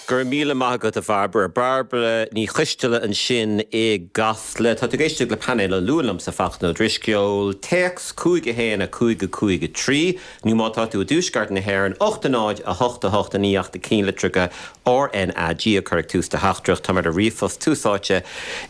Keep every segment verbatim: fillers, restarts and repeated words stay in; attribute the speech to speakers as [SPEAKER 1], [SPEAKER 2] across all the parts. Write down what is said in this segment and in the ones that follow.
[SPEAKER 1] Gur míle maith agat a Bhairbre Bairbre Ní Choisteala ansin i gCasla Tá tú ag éisteacht le painéal an Luain liomsa Fachtna Ó Drisceoil téacs cúig a haon a cúig a cúig a trí nó má tá tú i dtuaisceart na hÉireann ocht a náid a hocht a hocht a naoi ach na ceannlitreacha RNAG a chur ag tús do theachtaireacht tá ar a ríomhphost Tús Áite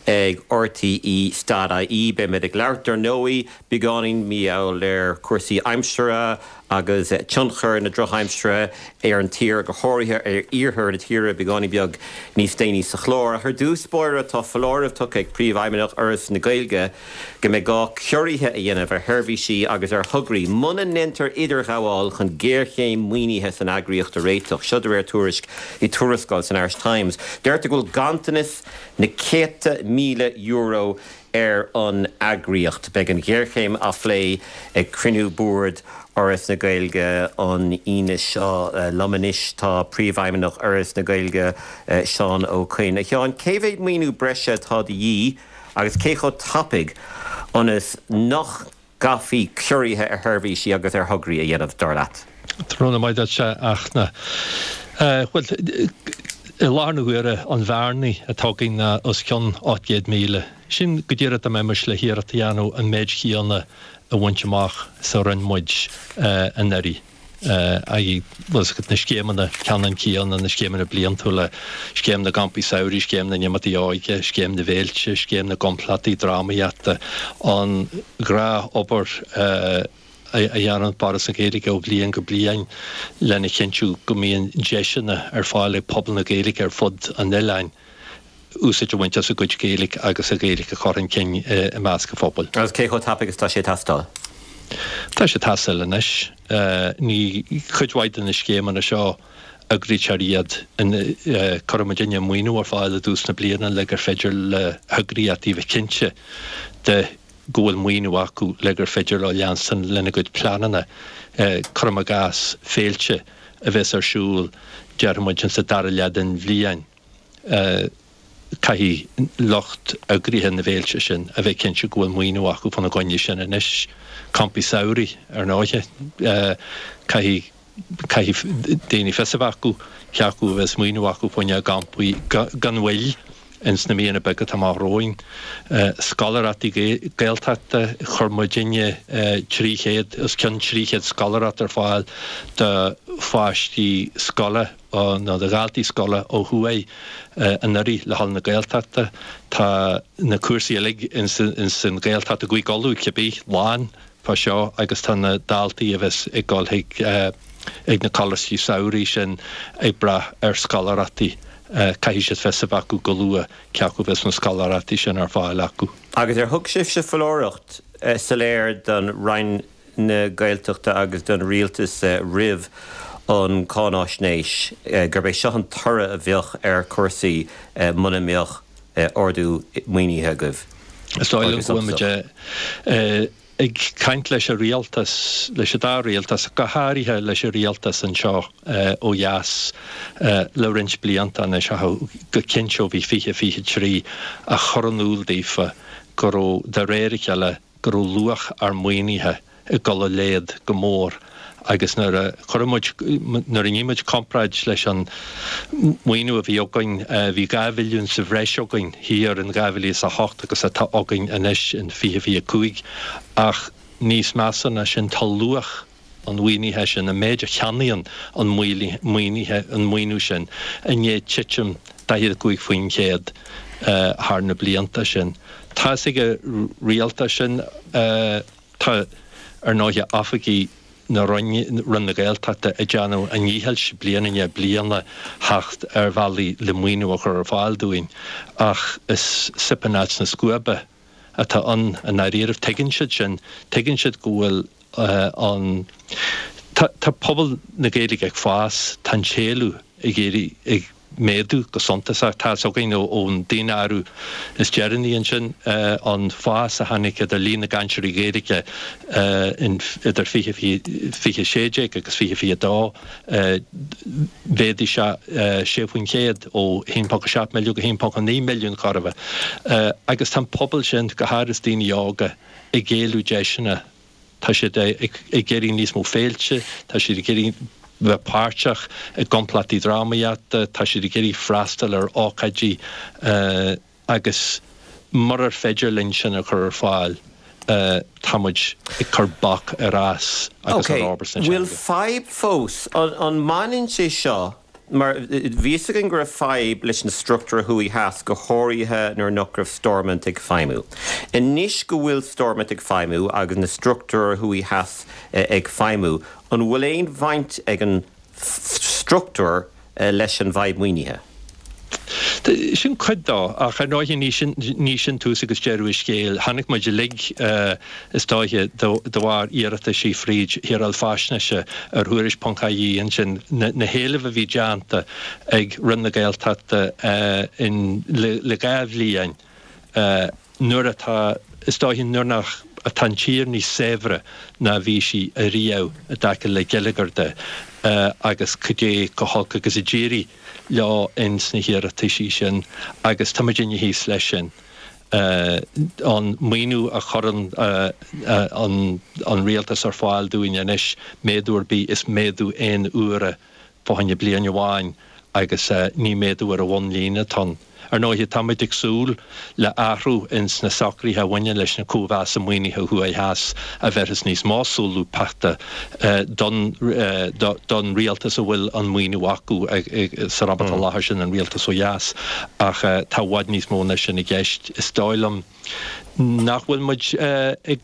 [SPEAKER 1] ag RTÉ dot IE Beimid ag labhairt ar ndóigh beagáinín mar gheall ar cúrsaí aimsire agus tionchar na drochaimsire ar an tír go háirithe ar iarthar na tíre beagáinín beag níos déanaí sa chlár. Ar dtús báire tá foláireamh tugtha ag Príomhfheidhmeannach Fhoras na Gaeilge go mbeidh gá ciorruithe a dhéanamh ar sheirbhísí agus ar thograí muna ndéantar idirghabháil chun géarchéim maoinithe san eagraíocht a réiteach. Seo de réir tuairisc i tuarascáil san Irish Times. Deirtear go bhfuil ganntanas na céadta míle euro ar an eagraíocht. Beidh an ghéarchéim á phlé ag cruinniú boird Fhoras na Gaeilge an Aoine seo liom anois tá Príomhfheidhmeannach Fhoras na Gaeilge Seán Ó Coinn. A Sheáin, cé mhéad maoiniú breise atá de dhíth agus cé chomh tapaidh ionas nach gcaithfí ciorruithe ar sheirbhísí agus ar thograí a dhéanamh dar leat.
[SPEAKER 2] Tráthnóna maith duit a Fhachtna. Bhuel, i láthair na huaire an bhearna atá againn ná os cionn ocht gcéad míle. Sin go díreach dá mbeimis le hiarracht a dhéanamh an méid chéanna a bhaint amach is a rinne muid anuraidh. Agus na scéimeanna ceannann céanna, na scéimeanna bliantúla, scéim na gcampaí samhraidh, scéim na n-imeachtaí óige, scéim na bhféilte, scéim na gcompleachtaí drámaíochta, an ghnáthobair a dhéanann Foras na Gaeilge ó bhliain go bliain lena chinntiú go mbíonn deiseanna ar fáil ag pobal na Gaeilge ar fud an oileáin úsáid a bhaint as a gcuid Gaeilge agus a Ghaeilge a chur chun cinn i measc an phobail.
[SPEAKER 1] Agus cé chomh tapaidh is tá sé ag teastáil?
[SPEAKER 2] Tá sé ag teastáil anois. Ní cuid mhaith de na scéimeanna seo eagraítear iad, cuireann muidinne maoiniú ar fáil i dtús na bliana le gur féidir le heagraíochtaí bheith cinnte de go bhfuil maoiniú acu le gur féidir leo leanstan lena gcuid pleananna. Cuirim i gcás, féilte a bheas ar siúl, déarfaidh muid, sa dara leath den bhliain. Caithfidh lucht eagraithe na bhféilte sin a bheith cinnte go bhfuil maoiniú acu fána gcoinne sin anois. Campaí samhraidh, ar ndóighe, caithfidh caithfidh daoine fios a bheith acu cé acu a bheas maoiniú acu fá choinne a gcampaí gan mhoill ins na míonna beaga atá amach romhainn. Scoláireachtaí Gaeltachta, chuir muidinne trí chéad, os cionn trí chéad scoláireacht ar fáil do pháistí scoile nó do dhaltaí scoile ó thuaidh anuraidh le dhul na Gaeltachta. Tá na cúrsaí uilig ins an Ghaeltacht i gCúige Uladh cibé lán fá seo agus tá na daltaí a bheas ag dul chuig ag na coláistí samhraidh sin ag brath ar scoláireachtaí. Caithfidh siad fios a bheith acu go luath cé acu a bheas na scoláireachtaí sin ar fáil acu.
[SPEAKER 1] Agus ar thug sibhse foláireacht soiléir don Roinn na Gaeltachta agus don Rialtas roimh an cháinaisnéis gurb é seo an toradh a bheadh ar chúrsaí muna mbeadh ardú maoinithe agaibh?
[SPEAKER 2] Is dóigh liom go bhfuil muid ag caint leis an rialtas, leis an dá rialtas, go háirithe leis an rialtas anseo ó dheas le roinnt blianta anois, go cinnte ó bhí fiche fiche trí, a chur in iúl daofa go raibh, de réir a chéile, go raibh luach ár maoinithe ag dul i laghad go mór agus nuair a chuir muid, nuair a dhein muid comparáid leis an maoiniú a bhí againn, bhí dhá mhilliún sa bhreis againn thiar in dhá mhíle is a hocht agus atá againn anois in fiche fiche cúig ach níos measa ná sin tá luach an mhaoinithe sin, an méid a cheannaíonn an maoinithe, an maoiniú sin i ndiaidh titim daichead a cúig faoin chéad thar na blianta sin. Tá's ag an rialtas sin. Tá, ar ndóighe, oifigigh na Roinne, Roinn na Gaeltachta, ag déanamh a ndíchill bliain i ndiaidh bliana theacht ar bhealaí le maoiniú a chur ar fáil dúinn ach is soip in áit na scuaibe atá ann i ndáiríribh. Tuigeann siad sin. Tuigeann siad go bhfuil an, tá, tá pobal na Gaeilge ag fás, tá an t-éileamh ag éirí, ag méadú go suntasach. Tá's againn ón daonáireamh is deireanaí ansin an fás a tháinig idir líon na gcainteoirí Gaeilge idir fiche fiche sé déag agus fiche fiche dó, mhéadaigh sé sé faoin chéad ó haon ponc a seacht milliún go haon ponc a naoi milliún chóir a bheith. Agus tá an pobal sin, go háirithe daoine óga, ag éileamh deiseanna. Tá siad ag iarraidh níos mó féilte, tá siad ag iarraidh bheith páirteach i gcomplachtaí drámaíochta, tá siad ag iarraidh freastal ar ócáidí agus murar féidir linn sin a chur ar fáil, tá muid ag cur bac ar fhás agus ar fhorbairt na teanga.
[SPEAKER 1] Bhfuil fadhb fós? An mbaineann sé seo, mar bhí fhios againn go raibh fadhb leis na struchtúir thuaidh theas, go háirithe nuair nach raibh Stormont ag feidhmiú. Anois go bhfuil Stormont ag feidhmiú agus na struchtúir thuaidh theas ag feidhmiú, an bhfuil aon bhaint ag an struchtúr leis an bhfadhb maoinithe?
[SPEAKER 2] Sin cuid dó, ach ar ndóighe ní sin, ní sin tús agus deireadh an scéil. Chonaic muid uilig, is dóiche, de bharr iarrataisí fríd Shaoráil Faisnéise ar Thuairisc ponc ie ansin, na héilimh a bhí déanta ag Roinn na Gaeltachta in, le dhá bhliain, nuair atá, is dóiche, nuair nach, atá an tír níos saibhre ná a bhí sí ariamh i dtaca le geilleagar de agus cad é chomh holc agus a d'éirigh leo ins na hiarrataisí sin agus tá muidinne thíos leis sin. An maoiniú a chuireann an rialtas ar fáil dúinn anois, méadú ar bith, is méadú aon uaire fá choinne bliain amháin agus ní méadú ar an bhunlíne atá ann. Ar ndóighe, táimid ag súil le athrú ins na socruithe a bhaineann leis na cóimheasa maoinithe thuaidh theas a bhéarfas níos mó solúbthachta don don rialtas a bhfuil an maoiniú acu san am atá i láthair, sin an rialtas ó dheas. Ach tá i bhfad níos mó ná sin i gceist. Is dóigh liom nach bhfuil muid ag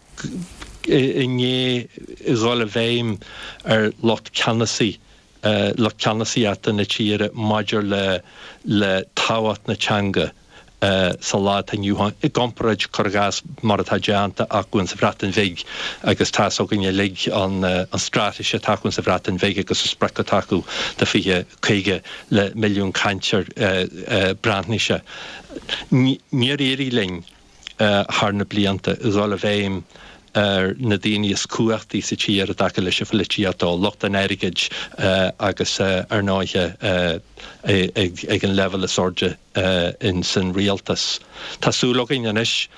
[SPEAKER 2] i ndiaidh dhul i bhfeidhm ar lucht ceannasaí lucht ceannasaíochta na tíre maidir le le tábhacht na teanga sa lá atá inniu ann, i gcomparáid, cuir i gcás, mar atá déanta acu insa Bhreatain Bhig agus tá's againn uilig an an straitéis atá acu insa Bhreatain Bhig agus an sprioc atá acu do fiche caoga le milliún cainteoir Breatnaise. Níor éirigh linn thar na blianta dhul i bhfeidhm ar na daoine is cumhachtaí sa tír i dtaca leis an pholaitíocht, ó lucht an airgid agus ar ndóighe ag an leibhéal is airde ins an rialtas. Tá súil againn anois,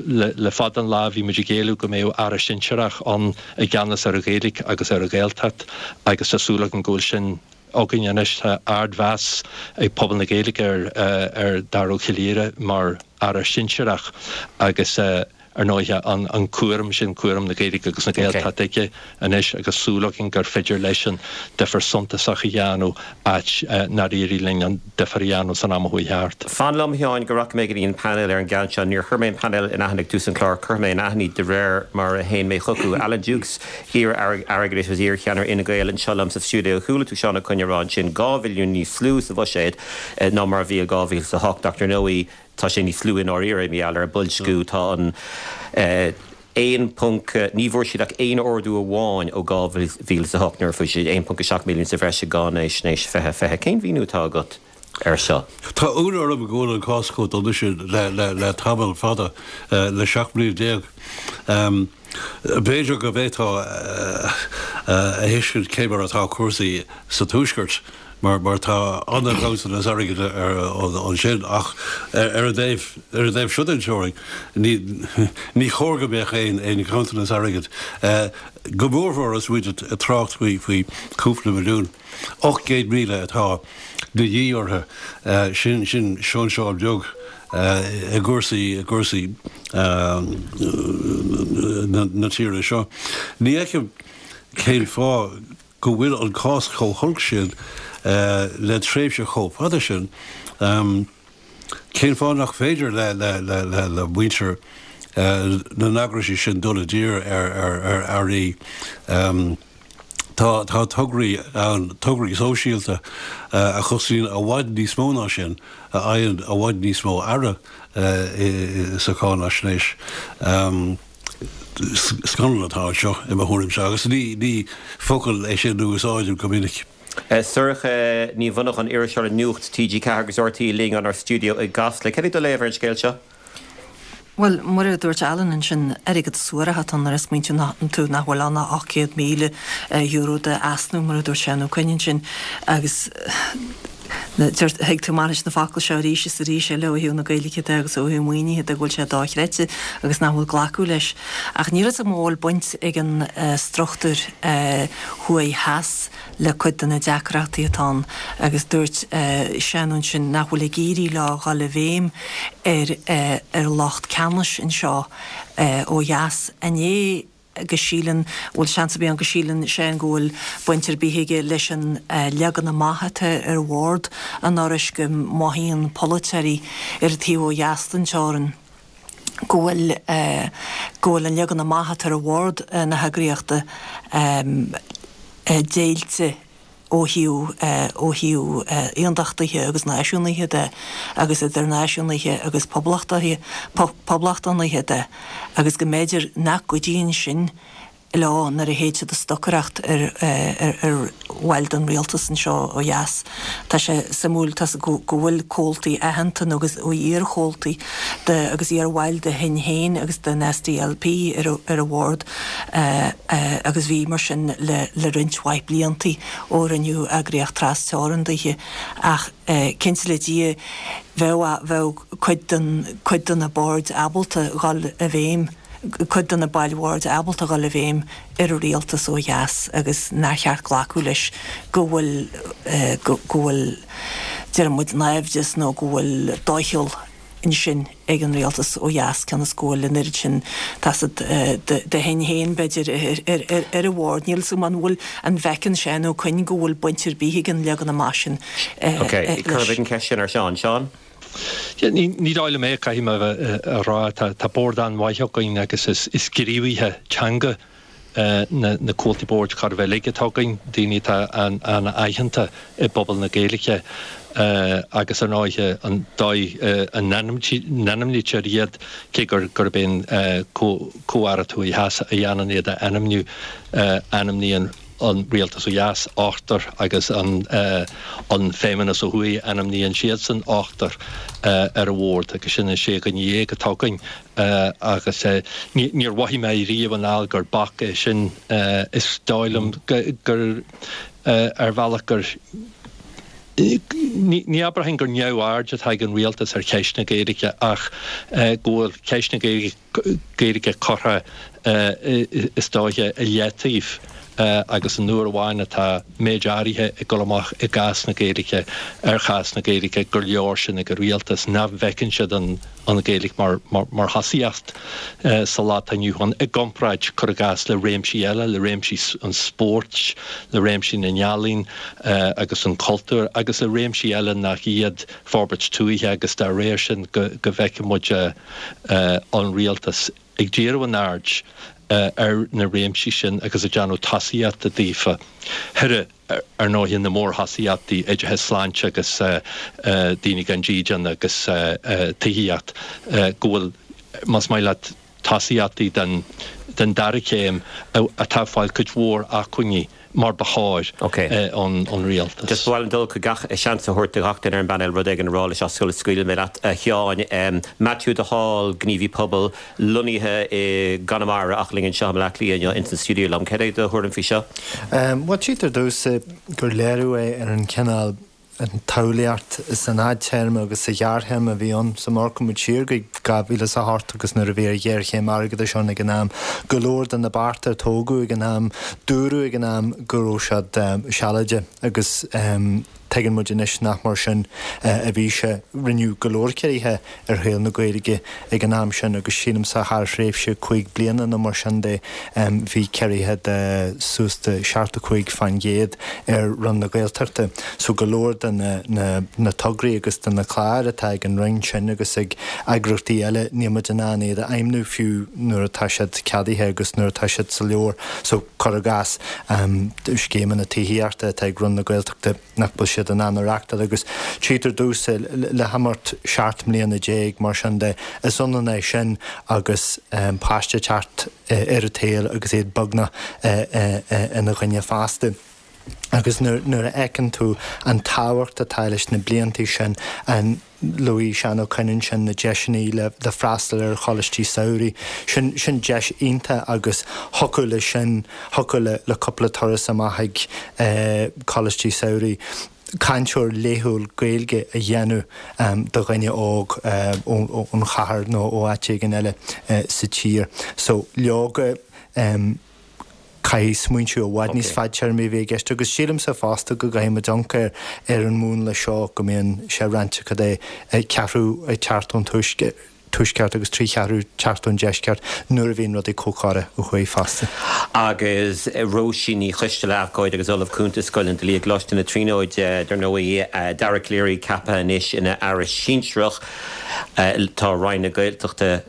[SPEAKER 2] le fada an lá bhí muid ag éileamh go mbeadh Aire Sinsearach ann i gceannas ar an Ghaeilge agus ar an Ghaeltacht agus tá súil againn go bhfuil sin againn anois. Tá ardmheas ag pobal na Gaeilge ar ar Dara Ó Coileáin mar Aire Sinsearach agus ar ndóighe an an cúram sin, cúram na Gaeilge agus na Gaeltachta aige anois agus súil againn gur féidir leisean difear suntasach a dhéanamh áit nár éirigh linn an difear a dhéanamh san am a chuaigh thart.
[SPEAKER 1] Fan liom, a Sheáin, go rachaidh mé go dtí an painéal ar an gceann seo. Níor chuir mé an painéal in aithne ag tús an chláir, cuirfidh mé in aithne iad de réir mar a théann mé chucu. Alan Dukes, iar-aire airgeadais agus iar-cheannaire Fhine Gael anseo liom sa stiúideo. Chuala tú Seán Ó Coinn ag rá ansin dhá mhilliún níos lú sa bhuiséad ná mar a bhí i dhá mhíle is a hocht ach ar ndóigh tá sé níos lú i ndáiríre mar gheall ar an boilsciú. Tá an aon ponc, ní bhfuair siad ach aon ardú amháin ó dhá mhíle is a hocht nuair a fuair siad aon ponc a seacht milliún sa bhreis i gcáinaisnéis fiche fiche. Cén mhíniú atá agat air seo?
[SPEAKER 3] Tá ionadh orm go bhfuil an cás chomh dona sin le tamall fada, le seacht mbliana déag. B'fhéidir go bhféadfá a thuiscint cé mar atá cúrsaí sa Tuaisceart mar mar tá an-ghanntanas airgid ansin ach ar an dtaobh ar an dtaobh seo den teorainn ní ní chóir go mbeadh aon aon ghanntanas airgid, go mórmhór is muid ag trácht faoi faoi chúpla milliún. Ocht gcéad míle atá de dhíth orthu, sin sin seoinseáil beag i gcúrsaí i gcúrsaí na tíre seo. Ní fheicim cén fáth go bhfuil an cás chomh holc sin le tréimhse chomh fada sin. Cén fáth nach féidir le le le le muintir na n-eagraisí sin dul i dtír ar ar earraí? Tá tá tograí ann, tograí sóisialta a chosnaíonn i bhfad níos mó ná sin, a fhaigheann i bhfad níos mó aire sa cháinaisnéis. Scannal atá anseo, i mo thuairimse, agus ní ní focal é sin a úsáidim go minic.
[SPEAKER 1] Sorcha Ní Mhonacháin, iriseoir le Nuacht T G ceathair agus R T É linn inár stiúideo i gCasla. Cad é do léamh ar an scéal seo?
[SPEAKER 4] Bhuel, mar a dúirt Alan ansin, airgead suarach atá ann nuair a smaointíonn tú nach bhfuil ann ach ocht gcéad míle euro d'easnamh, mar a dúirt Seán Ó Coinn ansin, agus Thuig tú maith leis na focail seo arís is arís eile ó thaobh na Gaeilge de agus ó thaobh maoinithe de go bhfuil sé dochreidte agus nach bhfuil glacadh leis. Ach níl fhios agam an bhfuil baint ag an struchtúr thuaidh theas le cuid de na deacrachtaí atá ann agus dúirt Seán ansin nach bhfuil ag éirí leo dhul i bhfeidhm ar ar lucht ceannais anseo ó dheas. An é go síleann, bhfuil seans ar bith ann go síleann Seán go bhfuil baint ar bith aige leis an leagan amach atá ar bhord an Fhorais, go mothaíonn polaiteoirí ar an taobh ó dheas den teorainn go bhfuil go bhfuil an leagan amach atá ar bhord na heagraíochta deighilte ó thaobh ó thaobh aontachtaithe agus náisiúnaithe de agus idir náisiúnaithe agus poblachtaithe poblachtánaithe de agus go mb'fhéidir nach gcuidíonn sin leo nuair a théid siad ag stocaireacht ar ar ar bhaill den rialtas anseo ó dheas. Tá sé suimiúil tá go go bhfuil comhaltaí aitheanta nó agus iar-chomhaltaí de agus iar-bhaill de Shinn Féin agus den SDLP ar ar an bhord agus bhí mar sin le le roinnt mhaith bliantaí ó rinneadh eagraíocht tras-teorann daoithe ach cinnte le Dia bheadh bheadh cuid den cuid de na boird ábalta dhul i bhfeidhm cuid de na baill bhoird ábalta dhul i bhfeidhm ar an rialtas ó dheas agus nár cheart glacadh leis go bhfuil go bhfuil deir muid naimhdeas nó go bhfuil doicheall ansin ag an rialtas ó dheas cionn is go bhfuil an oiread sin taifead de Shinn Féin b'fhéidir ar an bhord. Níl 'fhios agam an bhfuil an bhfeiceann Seán Ó Coinn go bhfuil baint ar bith ag an leagan amach sin
[SPEAKER 1] leis. Ok, cuirfidh an cheist sin ar Seán. Seán?
[SPEAKER 2] Ní dóigh liom é, caithfidh mé a rá. Tá bord an-mhaith againn agus is gníomhaithe teanga na comhaltaí boird chóir a bheith uilig atá againn, daoine atá an-aitheanta i bpobal na Gaeilge agus ar ndóighe an dóigh a n-ainmnítear iad, cé gurb é an Comh-Aire Thuaidh Theas a dhéanann iad a ainmniú, ainmníonn an rialtas ó dheas, ochtar, agus an an Feidhmeannas ó thuaidh, ainmníonn siadsan ochtar ar an bhord agus sin an sé dhuine dhéag atá againn agus níor mhothaigh mé riamh anall gur bac é sin. Is dóigh liom gur ar bhealach gur ní abrafainn gur neamhaird atá ag an rialtas ar cheist na Gaeilge ach go bhfuil ceist na Gaeilge curtha is dóiche i leataobh agus an uair amháin atá méid áirithe ag dul amach i gcás na Gaeilge ar chás na Gaeilge gur leor sin ag an rialtas nach bhfeiceann siad an Ghaeilge mar mar thosaíocht sa lá atá inniu ann i gcomparáid cuir i gcás le réimsí eile, le réimsí an spóirt, le réimsí na n-ealaíon agus an chultúir agus le réimsí eile nach iad forbairt tuaithe agus dá réir sin go bhfeiceann muid an rialtas ag díriú an aird ar na réimsí sin agus ag déanamh tosaíochta daofa. Thar, ar ndóighe, na mórthosaíochtaí, oideachas, sláinte agus daoine gan dídean agus tithíocht, go bhfuil, más maith leat, tosaíochtaí den dara céim atá ag fáil cuid mhór acmhainní mar ba chóir ón rialtas.
[SPEAKER 1] Just ba mhaith liom dul chuig gach, seans a thabhairt do gach duine ar an bpainéal rud éigin a rá leis sula scaoilfidh mé leat, a Sheáin. Matthew de Hál, gníomhaí pobail, lonnaithe i gConamara ach linn anseo i mBaile Átha Cliath inniu ins an stiúideo liom. Cad é do thuairim faoi seo?
[SPEAKER 5] Bhuel, tchítear domhsa gur léiriú é ar an chineál an tsamhlaíocht san fhadtéarma agus sa ghearrthéarma a bhí ann. So má amharcann muid siar go dhá mhíle is a hocht agus nuair a bhí an ghéarchéim airgeadais ann ag an am, go leor de na bearta a tógadh ag an am, dúradh ag an am go raibh siad sealadach agus tuigeann muid anois nach mar sin a bhí sé. Rinneadh go leor ciorruithe ar shaol na Gaeilge ag an am sin agus sílimse thar thréimhse cúig bliana nó mar sin de bhí ciorruithe de suas de seachtó cúig fán gcéad ar Roinn na Gaeltachta. So go leor de na na na tograí agus de na cláir atá ag an Roinn sin agus ag eagraíochtaí eile níl muid in ann iad a fheidhmniú fiú nuair atá siad ceadaithe agus nuair atá siad sa leabhar. So cuir i gcás scéimeanna tithíochta atá ag Roinn na Gaeltachta nach bhfuil siad in ann a reachtáil agus tchítear domhsa le himeacht seacht mbliana déag mar sin de, is ionann é sin agus páiste teacht ar an tsaol agus iad beagnach ina dhuine fásta. Agus nuair a fheiceann tú an tábhacht atá leis na blianta sin, an luaigh Seán Ó Coinn ansin na deiseanna le le freastal ar choláistí samhraidh, sin sin deis iontach agus thiocfadh leis sin, thiocfadh le le cúpla turas amach ag coláistí samhraidh. cainteoir laethúil Gaeilge a dhéanamh do dhuine óg ón chathair nó ó áit éigin eile sa tír. So leoga caithfidh smaointiú i bhfad níos fadtéarmaí a bheith i gceist agus sílimse fosta go gcaithfidh muid amharc ar an múnla seo go mbíonn sé roinnte cad é ceathrú ag teacht ón tuaisceart agus trí cheathrú teacht ón deisceart nuair a bhíonn rudaí chomh córa ó thuaidh fosta.
[SPEAKER 1] Agus Róisín Ní Choisteala, Abhcóide agus Ollamh Cúnta Scoil an Dlí i gColáiste na Tríonóide, dar ndóigh, Dara Calleary ceaptha anois ina Aire Sinsearach. Tá Roinn na Gaeltachta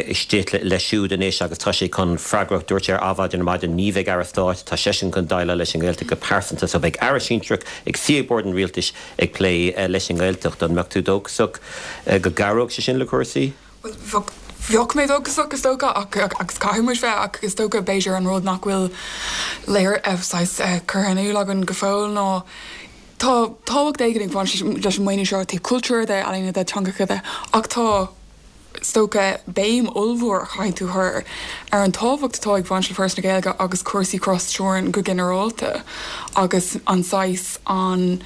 [SPEAKER 1] istigh leis siúd anois agus tá sé chun freagracht, dúirt sé ar Adhmhaidin ar maidin, ní bheidh Aire Stáit, tá seisean chun déileáil leis an nGaeltacht go pearsanta, so beidh Aire Sinsearach ag suí ag bord an Rialtais ag plé leis an nGaeltacht. An mbeadh tú dóchasach go gcabhródh sé sin le cúrsaí?
[SPEAKER 6] Bhuel, bheadh mé dóchasach is dócha ach agus caithfidh muid bheith ach is dócha b'fhéidir an rud nach bhfuil léir saghas curtha in iúl againn go fóill ná tá tábhacht éigin ag baint leis an maoiniú seo ó thaobh cultúir de, ealaíona de, teangacha de ach tá is dócha béim ollmhór a chaithfidh tú chur ar an tábhacht atá ag baint le Foras na Gaeilge agus cúrsaí tras-teorann go ginearálta agus an saghas an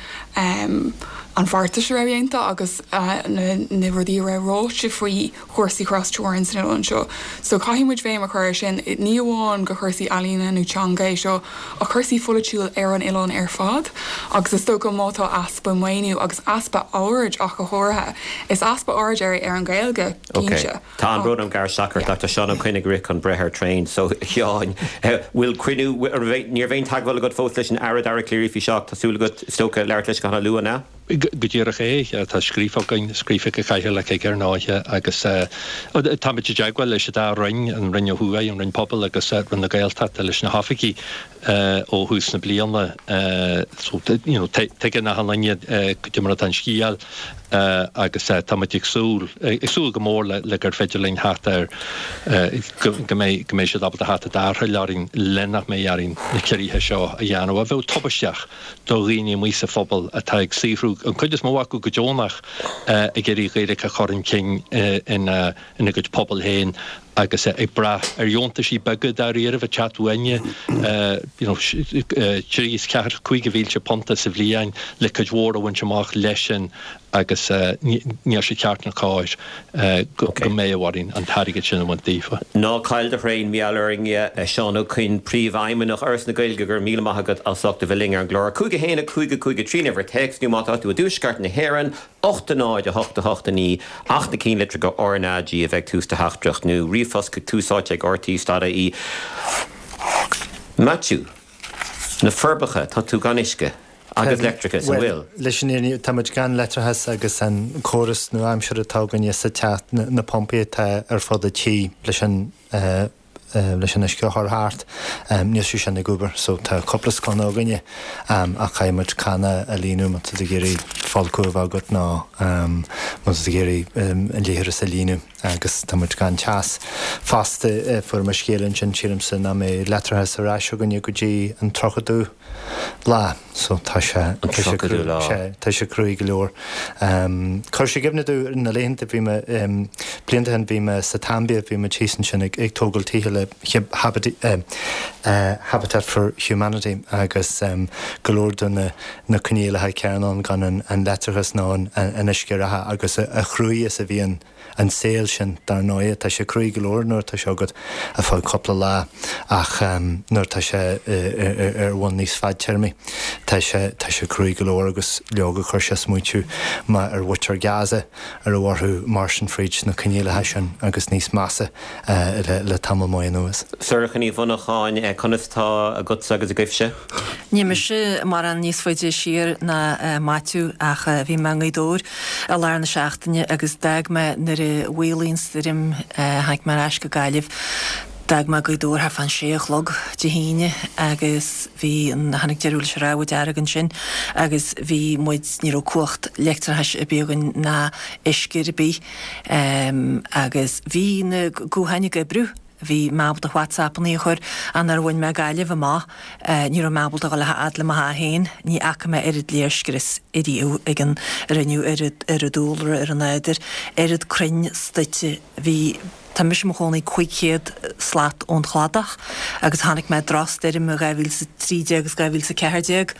[SPEAKER 6] an bheartais a raibh déanta agus na na rudaí a raibh ráite faoi chúrsaí tras-teorann san oileán seo. So caithfidh muid béim a chur ar sin, ní amháin go chúrsaí ealaíona nó teanga é seo ach cúrsaí pholaitiúil ar an oileán ar fad agus is dócha má tá easpa maoiniú agus easpa aird ach go háirithe, is easpa aird ar ar an Ghaeilge cinnte.
[SPEAKER 1] Tá an brón orm gar seacair Dr Seán Ó Coinn ag rith chun breith ar traein so Sheáin bhfuil cruinniú ní raibh aon teagmháil agat fós leis an Aire Dara Calleary faoi seo ach tá súil agat is dócha labhairt leis go han-luath, an ea?
[SPEAKER 2] Go díreach é. Tá scríofa againn, scríofa ag Cathaoirleach aige ar ndóighe agus táimid i dteagmháil leis an dá Roinn, an Roinn ó thuaidh, an Roinn Pobail agus Roinn na Gaeltachta leis na hoifigigh ó thús na bliana. So, you know, tuigeann achan duine cad é mar atá an scéal agus táimid ag súil, ag súil go mór le le gur féidir linn theacht ar, go mbeidh, go mbeidh siad ábalta theacht i dtarrtháil orainn le nach mbeidh orainn na ciorruithe seo a dhéanamh a bheadh tubaisteach. do dhaoine amuigh sa phobal atá ag saothrú, an chuid is mó acu go deonach, ag iarraidh Gaeilge a chur chun cinn ina gcuid pobal féin agus ag brath ar dheontaisí beaga dáiríribh ag teacht uainne, you know, trí is ceathair, cúig mhílte punta sa bhliain le cuid mhór a bhaint amach leis sin agus níl sé ceart ná cóir go mbeadh orainn an t-airgead sin a bhaint daofa.
[SPEAKER 1] Ná caill do thraein, mar gheall orainn, a Seán Ó Coinn, Príomhfheidhmeannach Fhoras na Gaeilge, go raibh míle maith agat as ucht a bheith linn ar an gclár. cúig a haon a cúig a cúig a trí an uimhir téacs nó má tá tú i dtuaisceart na hÉireann, ocht a náid a hocht a hocht a naoi ach na cinnlitreacha RnaG a bheith ag tús do theachtaireacht nó ríomhphost chuig tús áite ag rte dot ie. Maitiú, Na Forbacha, tá tú gan uisce. Agus leictreachas, an
[SPEAKER 5] bhfuil? Bhuel, leis an fhírinne, tá muid gan leictreachas agus an córas nua-aimseartha atá againne sa teach, na pumpaí atá ar fud an tí leis an leis an uisce a chur thart, níl sé sin ag obair. So tá cúpla sconna againne ach caithfidh muid canna a líonadh má tá tú ag iarraidh folcadh a bheith agat nó má tá tú ag iarraidh an leithreas a líonadh agus tá muid gan teas fosta. Fuair mé scéal ansin, sílimse, nach mbeidh leictreachas ar ais againne go dtí an tríochadú lá so tá sé
[SPEAKER 1] An
[SPEAKER 5] tá sé
[SPEAKER 1] tríochadú lá.
[SPEAKER 5] sé tá sé cruaidh go leor. Chuir sé i gcuimhne domh na laethanta bhí mé blianta ó shin bhí mé sa tSaimbia bhí muid thíos ansin ag ag tógáil tithe le Habitat for Humanity agus go leor de na na coinníollacha céanna ann gan an an leictreachas ná an an uisce reatha agus a chruaidh is a bhí an an saol sin, dar ndóigh. Tá sé cruaidh go leor nuair atá sé agat ar feadh cúpla lá ach nuair atá sé ar bhonn níos fadtéarmaí, tá sé, tá sé cruaidh go leor agus leoga chuir sé smaointiú mé ar mhuintir Gaza a raibh orthu mairstin fríd na coinníollacha sin agus níos measa le tamall maith anuas.
[SPEAKER 1] Sorcha Ní Mhonacháin, conas atá agatsa agus agaibhse?
[SPEAKER 4] Níl mise mórán níos faide siar ná Maitiú ach bhí mé i nGaoth Dobhair i lár na seachtaine agus d'fhág mé nuair a mhaolaigh an stoirm, tháinig mé ar ais go Gaillimh, d'fhág mé Gaoth Dobhair thart fán sé a chlog Dé hAoine agus bhí an, tháinig deireadh leis an rabhadh dearg ansin agus bhí muid, ní raibh cumhacht leictreachais ar bith againn ná uisce ar bith agus bhí na gutháin ag oibriú. Bhí mé ábalta WhatsAppannaí a chur ach nuair a bhain mé Gaillimh amach, ní raibh mé ábalta a dhul a fhad le mo theach féin. Ní fhaca mé oiread léirscrios ariamh ag an a rinneadh ar ar an dúlra, ar an nádúr, oiread crainn stoite. Bhí, tá mise i mo chónaí cúig chéad slat ón chladach agus chonaic mé drochstoirm i dhá mhíle is a trí déag agus dhá mhíle is a ceathair déag.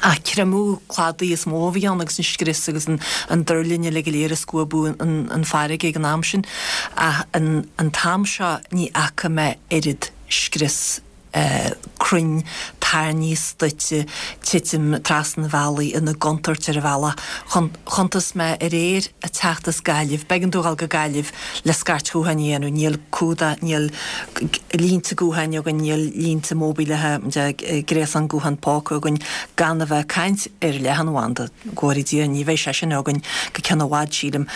[SPEAKER 4] Ach creimeadh cladaigh is mó a bhí ann agus an scrios agus an an duirlinge uilig go léir ag scuabadh an an farraige ag an am sin. Ach an an t-am seo ní fhaca mé oiread scrios crainn tairní stoite titim trasna an bhealaigh ina gcontúirt ar an bhealach. Chuntas mé aréir ag teacht as Gaillimh, b'éigean domh dhul go Gaillimh le scairt ghutháin a dhéanamh, níl cumhdach, níl línte gutháin againn, níl línte móibíleacha, gréasán guthán póca againn, gan a bheith ag caint ar leathanbhanda, go bhfóire Dia, ní bheidh sé sin againn go ceann i bhfad, sílim.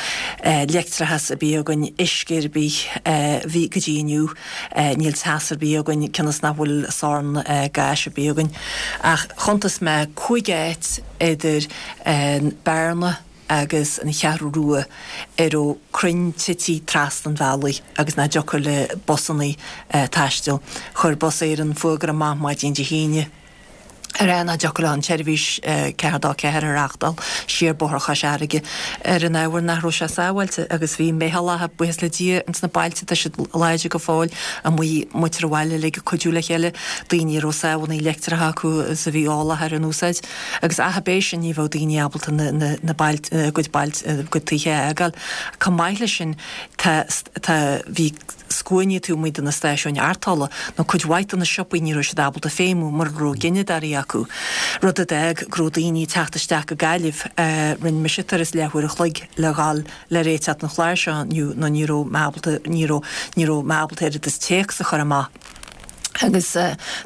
[SPEAKER 4] Leictreachas ar bith againn, uisce ar bith, bhí go dtí inniu, níl teas ar bith againn, cionn is nach bhfuil sorn gáis ar bith againn. Ach chuntas mé cúig áit idir an Bearna agus an Cheathrú Rua a raibh crainn tití trasna an bhealaigh agus nach dtiocfadh le busannaí taisteal. Chuir Bus Éireann fuagra amach maidin Dé hAoine ag rá nach dtiocfadh leo an tseirbhís ceathair dó ceathair a reáchtáil siar Bóthar Chois Fharraige ar an ábhar nach raibh sé sábháilte agus bhí meithleacha, buíochas le Dia, ins na bailte, tá siad láidir go fóill, amuigh, muintir an bhaile uilig ag cuidiú le chéile, daoine a raibh sábhannaí leictreacha acu is a bhí eolach ar a n-úsáid agus ach ab é sin ní bheadh daoine ábalta na, na, na bailte, a gcuid bailte, a gcuid tithe a fhágáil. Chomh maith leis sin tá, tá, bhí scuainí taobh amuigh de na stáisiúin arrtála, nó cuid mhaith de na siopaí ní raibh siad ábalta feidhmiú mura raibh gineadóirí acu, rud a d'fhág go raibh daoine ag teacht isteach go Gaillimh. Rinne mise turas leathuair a chloig le dhul le réiteach don chlár seo inniu nó ní raibh mé ábalta, ní raibh, ní raibh mé ábalta oiread is téacs a chur amach. Agus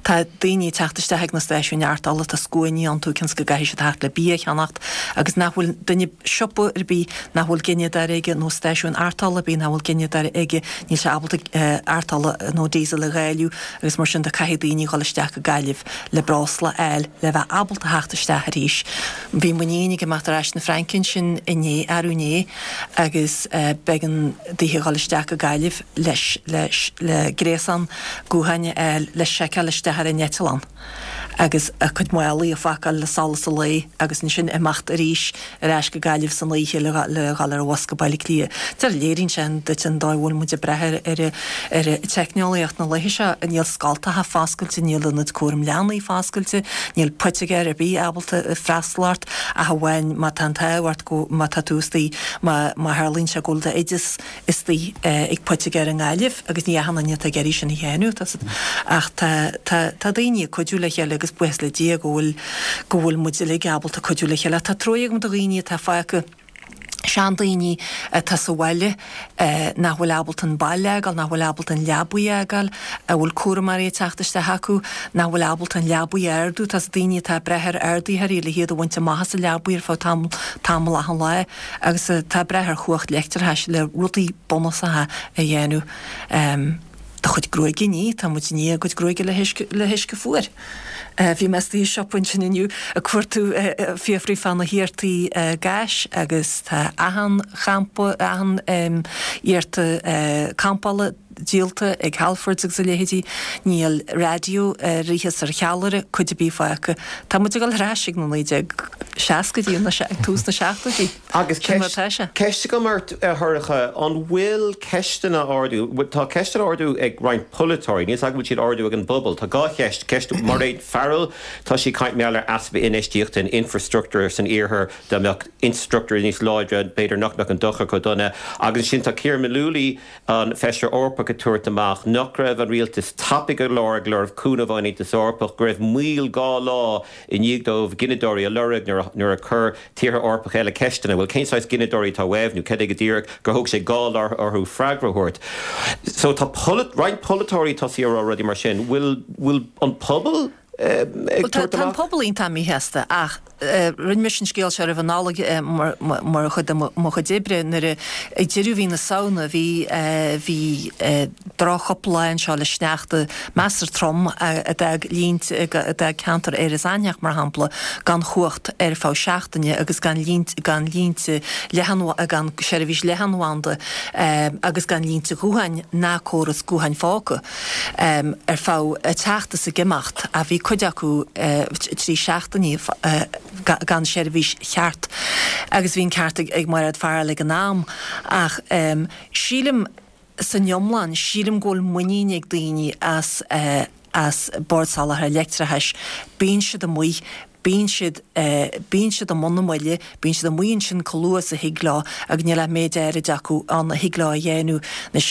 [SPEAKER 4] tá daoine ag teacht isteach ag na stáisiúin arrtála, tá scuainí iontu cionn is go gcaithfidh siad theacht le bia a cheannacht agus nach bhfuil duine, siopa ar bith nach bhfuil gineadóir aige nó stáisiún arrtála ar bith nach bhfuil gineadóir aige, níl sé ábalta arrtála nó diesel a dháileadh agus mar sin de caithfidh daoine dhul isteach go Gaillimh le breosla a fháil le bheith ábalta theacht isteach arís. Bhí m'iníon ag imeacht ar ais na Fraince ansin inné, arú inné agus b'éigean daoithe dhul isteach go Gaillimh leis, leis, le gréasán gutháin a fháil le seiceáil isteach ar an eitleán agus a cuid málaí a phacáil le solas an lae agus ansin imeacht arís ar ais go Gaillimh san oíche le le dhul ar an bhus go Baile Átha Cliath. Deir léiríonn sé duit an dóigh a bhfuil muid ag brath ar ar ar teicneolaíocht na laethe seo. Níl scoltacha foscailte, níl ionaid cúram leanaí foscailte, níl poitigéir ar bith ábalta freastal ort ach amháin má tá an t-ádh ort go má tá tú istigh má má tharlaíonn sé go bhfuil d'oideas istigh ag poitigéir i nGaillimh agus ní achan duine atá ag iarraidh sin a dhéanamh, tá ach tá tá tá daoine ag cuidiú le chéile agus buíochas le Dia go bhfuil go bhfuil muid uilig ábalta cuidiú le chéile. Tá truaighe agam do dhaoine atá fágtha, seandaoine atá sa bhaile nach bhfuil ábalta an baile a fhágáil, nach bhfuil ábalta an leabaidh a fhágáil, a bhfuil cúramóirí ag teacht isteach acu, nach bhfuil ábalta an leabaidh a ardú, tá daoine atá ag brath ar ardaitheoirí le hiad a bhaint amach as an leabaidh ar feadh tamall tamall achan lá. Agus atá ag brath ar chumhacht leictreachais le rudaí bunúsacha a dhéanamh. Do chuid gruaige a ní, tá muid ag ní ár gcuid gruaige le huisce, le huisce fuar. Bhí mé istigh i siopa ansin inniu ag cuartú, ag fiafraí fá na hiartaí gáis agus tá achan champa, achan iarta campála díolta ag Halfords agus a leithéidí. Níl raidió ar fhios ar cheallaire, cuid ar bith fágtha. Tá muid ag dul ar ais ag na naoi déag seascaidí nó ag tús na seachtóidí.
[SPEAKER 1] Agus
[SPEAKER 4] Sin mar atá sé.
[SPEAKER 1] ceist agam ort, a Shorcha, an bhfuil ceisteanna á ardú, tá ceisteanna á ardú ag roinnt polaiteoirí, níl 's agam an bhfuil siad á ardú ag an bpobal. Tá dhá cheist, ceist Mairéad Farrell, tá sí ag caint mar gheall ar easpa infheistíochta in infrastruchtúr san iarthar, dá mbeadh infrastruchtúr níos láidre b'fhéidir nach mbeadh an dochar chomh dona. Agus ansin tá Ciaran Mullooly, an Feisire Eorpach ag tabhairt amach nach raibh an rialtas tapaidh go leor ag lorg cúnamh ón Aontas Eorpach, go raibh moill dhá lá i ndiaidh dóibh gineadóirí a lorg nuair a nuair a chuir tíortha Eorpacha eile ceisteanna, bhuel cén saghas gineadóirí atá uaibh nó cad é go díreach, gur thóg sé dhá lá orthu freagra a thabhairt. So tá roinnt polaiteoirí tosaithe a rá rudaí mar sin. Bhfuil bhfuil an pobal ag
[SPEAKER 4] Bhuel tá
[SPEAKER 1] tabhairt
[SPEAKER 4] tá an
[SPEAKER 1] amach?
[SPEAKER 4] pobal iontach míshásta ach rinne mise an scéal seo roimh an Nollaig mar chuid de mo chuid oibre nuair a ag deireadh mhí na Samhna bhí bhí droch-chúpla lá anseo le sneachta measartha trom a d'fhág línte a d'fhág ceantar Iorras Aithneach mar shampla gan chumhacht ar feadh seachtaine agus gan línt gan línte leathan gan seirbhís leathanbhanda agus gan línte gutháin ná córas gutháin phóca ar feadh ag teacht is ag imeacht ach bhí cuid acu trí seachtainí gan seirbhís cheart agus bhí an ceart ag Mairéad Farrell ag an am ach sílim san iomlán sílim go bhfuil muinín ag daoine as as Bord Soláthair Leictreachais bíonn siad amuigh Bíonn siad, bíonn siad i mbun na mbuille, bíonn siad amuigh ansin chomh luath is a thig leo agus níl ach méid áirid acu ann a thig leo a dhéanamh. Anois,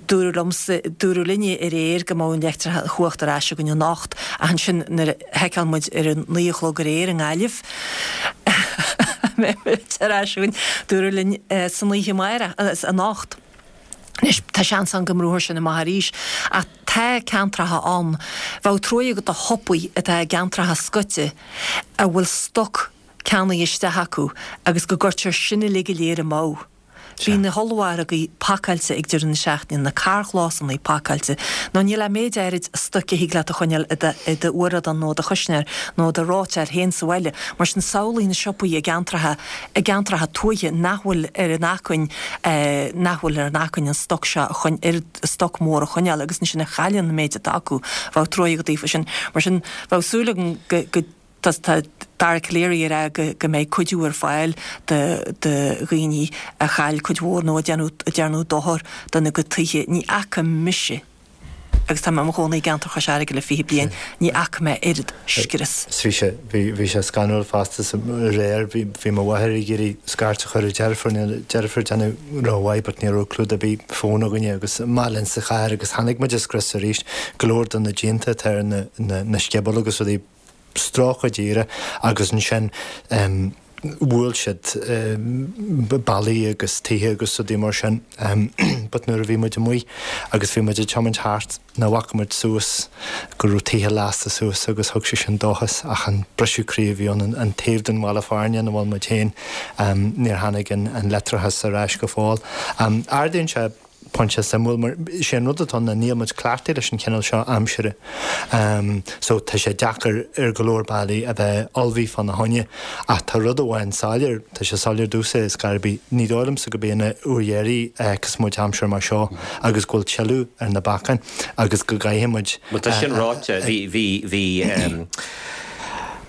[SPEAKER 4] dúradh liomsa, dúradh linne aréir go mbeadh an leictreachas, an chumhacht ar ais againn anocht ach ansin nuair a sheiceáil muid ar a naoi a chlog aréir i nGaillimh, mbeidh muid ar ais againn, dúradh linn san oíche amárach, anocht. Anois, tá seans ann go mbrúfar sin amach arís, ach tá ceantracha ann, bheadh truaighe agat do shiopaí atá i gceantracha scoite a bhfuil stoc ceannaithe isteach acu agus go gcuirtear sin uilig go léir amú. Bhí na hollmhargaí pacáilte ag deireadh na seachtaine, na carrchlásanna pacáilte, nó níl ach méid áirid stoic a thig leat a choinneáil i d'fhuaradán nó i do chuisneoir nó i do reoiteoir féin sa bhaile. Mar sin, samhlaigh na siopaí i gceantracha, i gceantracha tuaithe nach bhfuil ar an acmhainn, nach bhfuil ar an acmhainn an stoc seo a choin, oiread stoc mór a choinneáil agus ansin a chailleann an méid atá acu. Bheadh truaighe agat daofa sin. Mar sin, bheadh súil agam go, go. Tá Dara Calleary ag rá go mbeidh cuidiú ar fáil do dhaoine a chaill cuid mhór nó a déanadh dochar dona gcuid tithe. Ní fhaca mise, agus tá mé i mo chónaí i gceantar Chois Fharraige le fiche bliain, ní fhaca mé oiread scrios.
[SPEAKER 5] Bhí sé, bhí sé scanrúil fosta aréir. Bhí mo mháthair ag iarraidh scairt a chur ar a deirfiúr, níl a deirfiúr ag déanamh rómhaith but ní raibh clúdach ar bith fóin againne agus amach linn sa chathair agus chonaic muid an scrios arís, go leor de na díonta atá ar na sciobóil agus rudaí. stróicthe díreach agus ansin bhuail siad ballaí agus tithe agus rudaí mar sin but nuair a bhí muid amuigh agus bhí muid ag tiomáint thart ná bhfaca muid suas go raibh tithe lasta suas agus thug sé sin dóchas ach an briseadh croí a bhí ann an taobh den bhaile fearainn ina bhfuil muid féin níor tháinig an leictreachas ar ais go fóill. Ardaíonn sé pointe suimiúil mar sé an rud atá ann ná níl muid cleachtaithe leis an chineál seo aimsire so tá sé deacair ar go leor bealaí a bheith ullmhaithe fána choinne ach tá rud amháin soiléir, tá sé soiléir domhsa ar scor ar bith, ní dóigh liomsa gurb é an uair dheiridh a fheicfeas muid aimsir mar seo agus go bhfuil tuilleadh ar na bacáin agus go gcaithfidh muid
[SPEAKER 1] Bhuel tá sin ráite, bhí, bhí, bhí.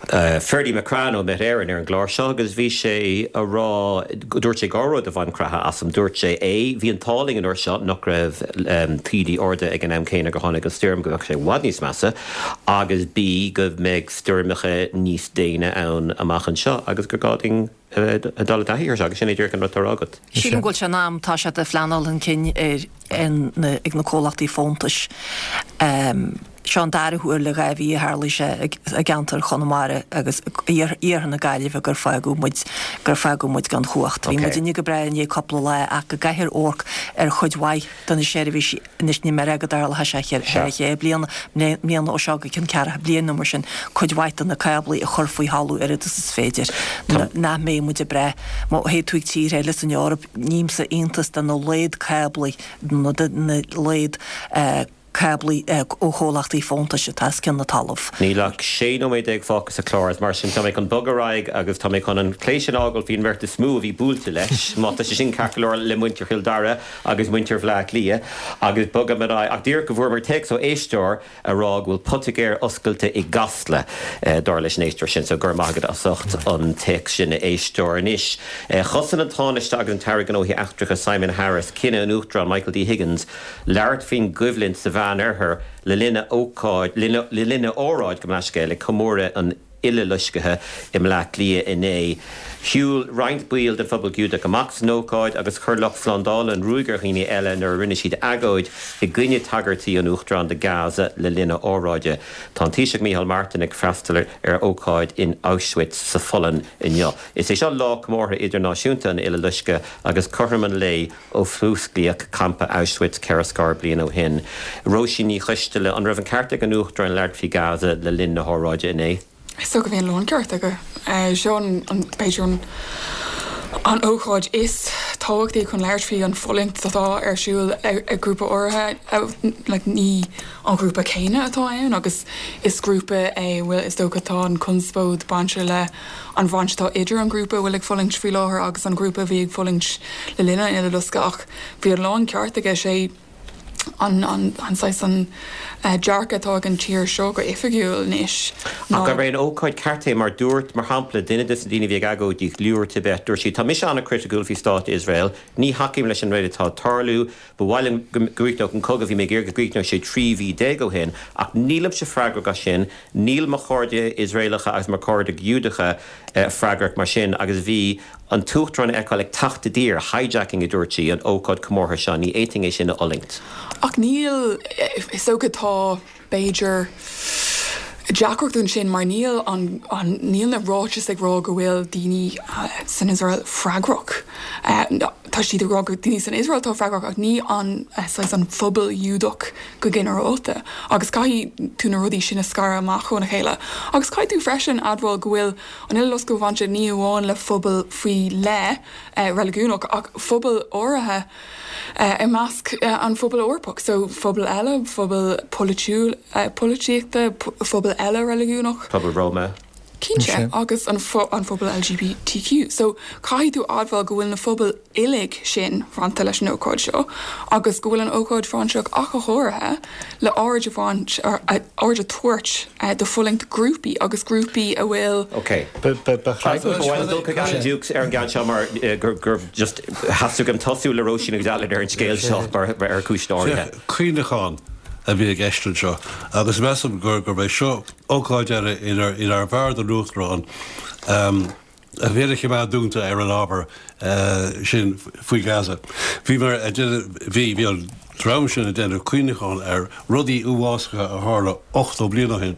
[SPEAKER 1] Ferdie McCrann ó Met Éireann ar an gclár seo agus bhí sé a rá, dúirt sé dhá rud a bhain creathadh asam, dúirt sé A, bhí an t-ádh linn an uair seo nach raibh taoidí arda ag an am céanna gur tháinig an stoirm, go mbeadh sé i bhfad níos measa, agus B, go mbeidh stoirmeacha níos déine ann amach anseo agus gur gá dúinn a dul i dtaithí air seo agus sin é díreach an rud atá á rá agat.
[SPEAKER 4] Sílim go bhfuil sé in am, tá siad ag pleanáil chun cinn ar ag na comhlachtaí fóntais. Seo an dara huair le dhá mhí a tharlaigh sé i gceantar Chonamara agus iarthar na Gaillimhe gur fágadh muid gur fágadh muid gan chumhacht. Bhí muidinne go breá i ndiaidh cúpla lá ach go gcaithfear amharc ar chuid mhaith de na seirbhísí Anois níl mé ag rá go dtarlóidh sé thar cheithre bliana, mbliana ó seo go ceann ceathracha bliain nó mar sin, cuid mhaith de na cáblaí a chur faoi thalamh oiread is is féidir, nach mbeidh muid ag brath. Má théann tú ag tíortha eile san Eoraip, nímse iontas de na laghad cáblaí, nó de na laghad cáblaí ó chomhlachtaí fóntais atá os cionn na talamh.
[SPEAKER 1] Níl ach sé nóiméad déag fágtha sa chlár is mar sin tá mé chun bogadh ar aghaidh agus tá mé chun an plé sin a fhágáil faoin mbeirt is mó a bhí buailte leis, má tá sé sin ceart go leor le muintir Chill Dara agus muintir Bhaile Átha Cliath agus bogaim ar aghaidh ach díreach go bhfuaireamar téacs ó éisteoir a rá go bhfuil poitigéir oscailte i gCasla dar leis an éisteoir sin so go raibh maith agat as ucht an téacs sin a éisteoir. Anois chosain an Tánaiste agus an tAire Gnóthaí Eachtracha Simon Harris cinneadh an Uachtaráin Michael D Higgins labhairt faoin gcoimhlint sa Mheánoirthear le linn a ócáid, le linn a óráid, gabh mo leithscéal, ag comóradh an Uileloiscthe i mBleá Cliath inné. Shiúil roinnt baill den phobal Giúdach amach san ócáid agus chuir lucht slándála an ruaig ar dhaoine eile nuair a rinne siad agóid i gcoinne tagairtí an Uachtaráin do Gaza le linn a óráide. Tá an Taoiseach Micheál Martin ag freastal ar ócáid in Auschwitz sa Pholainn inniu. Is é seo lá comórtha idirnáisiúnta an Uileloiscthe agus cothrom an lae ó fuasclaíodh campa Auschwitz ceithre scór bliain ó shin. Róisín Ní Choisteala, An raibh an ceart ag an Uachtarán labhairt faoi Gaza le linn na hóráide inné?
[SPEAKER 6] Is dócha bhí an láncheart aige. Seo an, b'fhéidir an an ócáid is tábhachtaí chun labhairt faoi an fulaingt atá ar siúl ag grúpa áirithe, like ní an grúpa céanna atá ann agus is grúpa é a bhfuil, is dócha tá an conspóid bainte le an bhaint atá idir an grúpa a bhfuil ag fulaingt faoi láthair agus an grúpa a bhí ag fulaingt le linn an Uileloscadh ach bhí an láncheart aige sé an an an saghas an dearcadh atá ag an tír seo go oifigiúil anois.
[SPEAKER 1] Ach gurb é an ócáid ceart é mar dúirt, mar shampla, duine de na daoine a bhí ag agóidí, Liúr Tibet, dúirt sí, tá mise an-chriticiúil faoi stát Iosrael, ní thacaím leis an rud atá ag tarlú, ba mhaith liom go gcríochnódh an cogadh, bhí mé ag iarraidh go gcríochnódh sé trí mhí déag ó shin, ach nílimse freagrach as sin, níl mo chairde Iosraelacha agus mo chairde Giúdacha freagrach mar sin agus bhí an tUachtarán a fheiceáil ag teacht i dtír, hijacking a dúirt sí, an ócáid comórtha seo, ní fhéadfainn é sin a fhulaingt.
[SPEAKER 6] Ach níl, is dócha tá, b'fhéidir, deacracht ansin mar níl an, an, níl na ráitis ag rá go bhfuil daoine san Iosrael freagrach. Tá siad ag rá gur daoine san Iosrael atá freagrach ach ní an, saghas an phobal Giúdach go ginearálta. Agus caithfidh tú na rudaí sin a scaradh amach óna chéile. Agus caithfidh tú freisin admháil go bhfuil an Uileloscadh bainte ní amháin le phobal faoi leith reiligiúnach ach phobal áirithe i measc an phobail Eorpach. So phobal eile, phobal polaitiúil, polaitíochta, phobal eile reiligiúnach.
[SPEAKER 1] Pobal Roma.
[SPEAKER 6] Cinnte, agus an an phobal LGBTQ. So caithfidh tú admháil go bhfuil na phobail uilig sin bainte leis an ócáid seo agus go bhfuil an ócáid bhainteach ach go háirithe le aird a bhaint aird a tabhairt do fulaingt grúpaí agus grúpaí a bhfuil
[SPEAKER 1] Ok. Bhfuil dul chuig Alan Dukes ar an gceann seo mar gur gur just theastaigh uaim tosú le Róisín agus Alan ar an scéal seo mar ar chúis áirithe.
[SPEAKER 3] Cuimhneachán a bhí i gceist anseo agus measaim gur gurb é seo ócáid eile inar inar bhfearr don Uachtarán a bhéal a choimeád dúnta ar an ábhar sin faoi Gaza. Bhí mar a bhí bhí an dream sin ag déanamh cuimhneachán ar rudaí uafásacha a tharla ochtó bliain ó shin